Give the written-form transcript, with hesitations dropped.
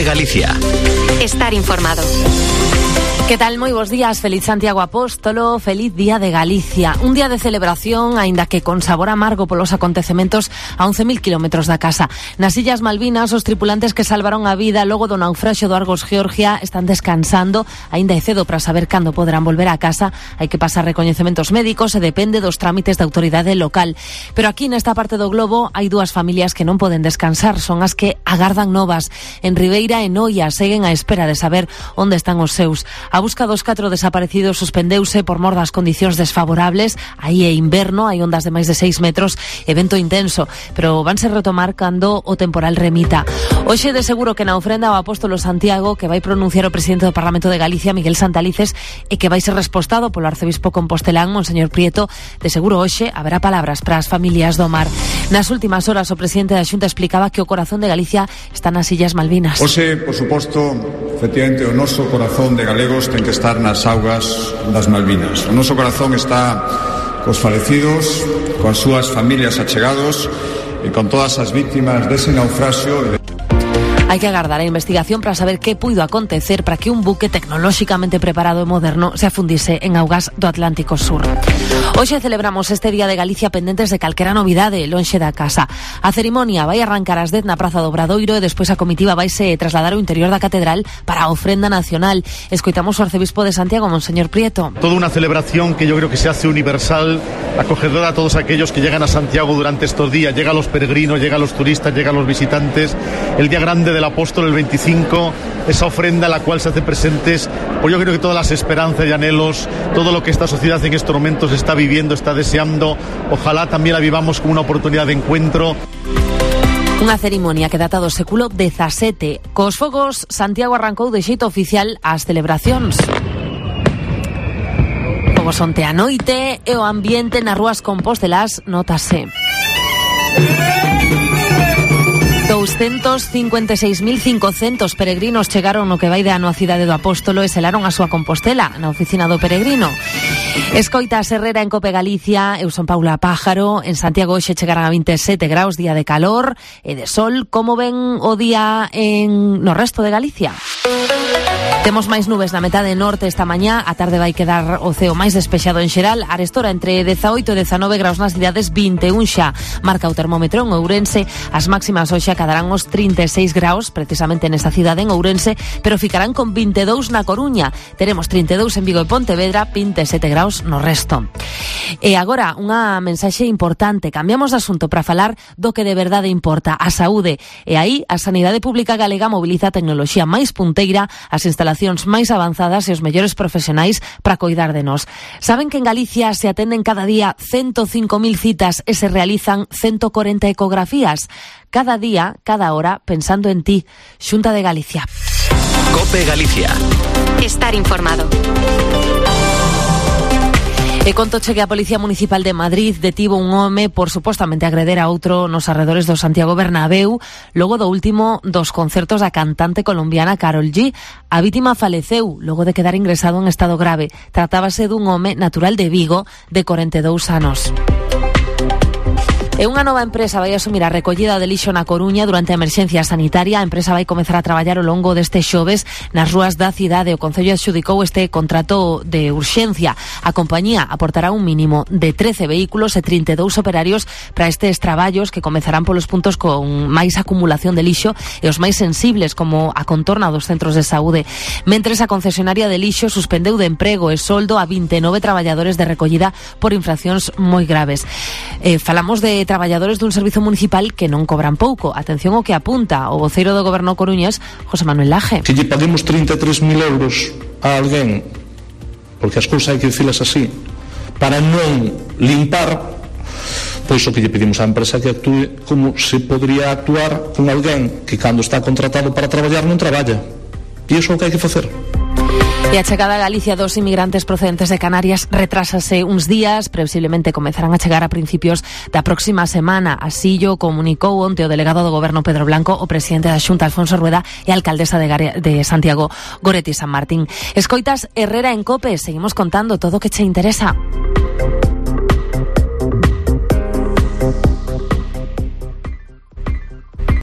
COPE Galicia. Estar informado. Que tal? Moi bos días, feliz Santiago Apóstolo, feliz Día de Galicia. Un día de celebración, aínda que con sabor amargo polos acontecementos a 11.000 kilómetros da casa. Nas Illas Malvinas, os tripulantes que salvaron a vida logo do naufraxio do Argos Georgia están descansando. Aínda é cedo para saber cando poderán volver a casa. Hai que pasar recoñecementos médicos e depende dos trámites da autoridade local. Pero aquí nesta parte do globo hai dúas familias que non poden descansar. Son as que agardan novas. En Ribeira e Noia seguen á espera de saber onde están os seus. A busca dos 4 desaparecidos suspendeuse por mor das condicións desfavorables. Aí é inverno, hai ondas de máis de 6 metros e vento intenso, pero vanse retomar cando o temporal remita. Hoxe de seguro que na ofrenda ao Apóstolo Santiago que vai pronunciar o presidente do Parlamento de Galicia, Miguel Santalices, e que vai ser respostado polo arcebispo compostelán, Monseñor Prieto, de seguro hoxe haberá palabras para as familias do mar. Nas últimas horas o presidente da Xunta explicaba que o corazón de Galicia está nas Illas Malvinas. Hoxe, por suposto, efectivamente, o noso corazón de galegos ten que estar nas augas das Malvinas. O noso corazón está cos falecidos, coas súas familias achegados e con todas as vítimas dese naufraxio. Hai que agardar a investigación para saber que puido acontecer para que un buque tecnolóxicamente preparado e moderno se afundise en augas do Atlántico Sur. Hoxe celebramos este Día de Galicia pendentes de calquera novidade lonxe da casa. A cerimonia vai arrancar ás 10 na Praza do Obradoiro e despois a comitiva vaise trasladar ao interior da catedral para a ofrenda nacional. Escoitamos o arcebispo de Santiago, Monseñor Prieto. Toda una celebración que yo creo que se hace universal, acogedora a todos aquellos que llegan a Santiago durante estos días. Llega a los peregrinos, llega a los turistas, llega a los visitantes. El día grande del Apóstol, el 25, esa ofrenda a la cual se hace presentes, pues yo creo que todas las esperanzas y anhelos, todo lo que esta sociedad en estos momentos está viviendo, está deseando, ojalá también la vivamos como una oportunidad de encuentro. Unha cerimonia que data do século XVII. Cos fogos, Santiago arrancou de xeito oficial as celebracións. Fogos onte a noite e o ambiente nas rúas compostelás notase. 256.500 peregrinos chegaron no que vai de ano á cidade do Apóstolo e selaron a súa Compostela na oficina do peregrino. Escoita a Herrera en Cope Galicia, eu son Paula Pájaro. En Santiago hoxe chegarán a 27 graus, día de calor e de sol. Como ven o día no resto de Galicia? Temos máis nubes na metade norte esta mañá. A tarde vai quedar o ceo máis despexado en xeral. Arestora entre 18 e 19 graus nas cidades, 21 xa marca o termómetro en Ourense. As máximas hoxe acadarán os 36 graus precisamente nesta cidade en Ourense, pero ficarán con 22 na Coruña. Teremos 32 en Vigo e Pontevedra, 27 graus no resto. E agora unha mensaxe importante. Cambiamos de asunto para falar do que de verdade importa, a saúde. E aí a Sanidade Pública Galega mobiliza a tecnoloxía máis punteira, as instalacións máis avanzadas e os mellores profesionais para coidar de nós. Saben que en Galicia se atenden cada día 105.000 citas e se realizan 140 ecografías. Cada día, cada hora, pensando en ti. Xunta de Galicia. COPE Galicia. Estar informado. E contoche que a Policía Municipal de Madrid detivo un home por supostamente agreder a outro nos arredores do Santiago Bernabéu logo do último dos concertos da cantante colombiana Karol G. A vítima faleceu logo de quedar ingresado en estado grave. Tratábase dun home natural de Vigo de 42 anos. E unha nova empresa vai asumir a recollida de lixo na Coruña durante a emerxencia sanitaria. A empresa vai comezar a traballar ao longo deste xoves nas rúas da cidade. O Concello adxudicou este contrato de urxencia. A compañía aportará un mínimo de 13 vehículos e 32 operarios para estes traballos que comezarán polos puntos con máis acumulación de lixo e os máis sensibles, como a contorna dos centros de saúde. Mentres, a concesionaria de lixo suspendeu de emprego e soldo a 29 traballadores de recollida por infraccións moi graves. Falamos de traballadores dun servizo municipal que non cobran pouco. Atención ao que apunta o voceiro do Goberno coruñés, José Manuel Laje. Que lle paguemos 33.000 euros a alguén, porque as cousas hai que dicilas así, para non limpar, pois o que lle pedimos á empresa que actúe como se podría actuar con alguén que cando está contratado para traballar non traballa. E iso é o que hai que facer. E a chegada a Galicia dos inmigrantes procedentes de Canarias retrásase uns días, previsiblemente comezarán a chegar a principios da próxima semana. Así o comunicou onte o delegado do Goberno Pedro Blanco, o presidente da Xunta Alfonso Rueda e a alcaldesa de Santiago Goretti San Martín. Escoitas Herrera en Cope, seguimos contando todo o que che interesa.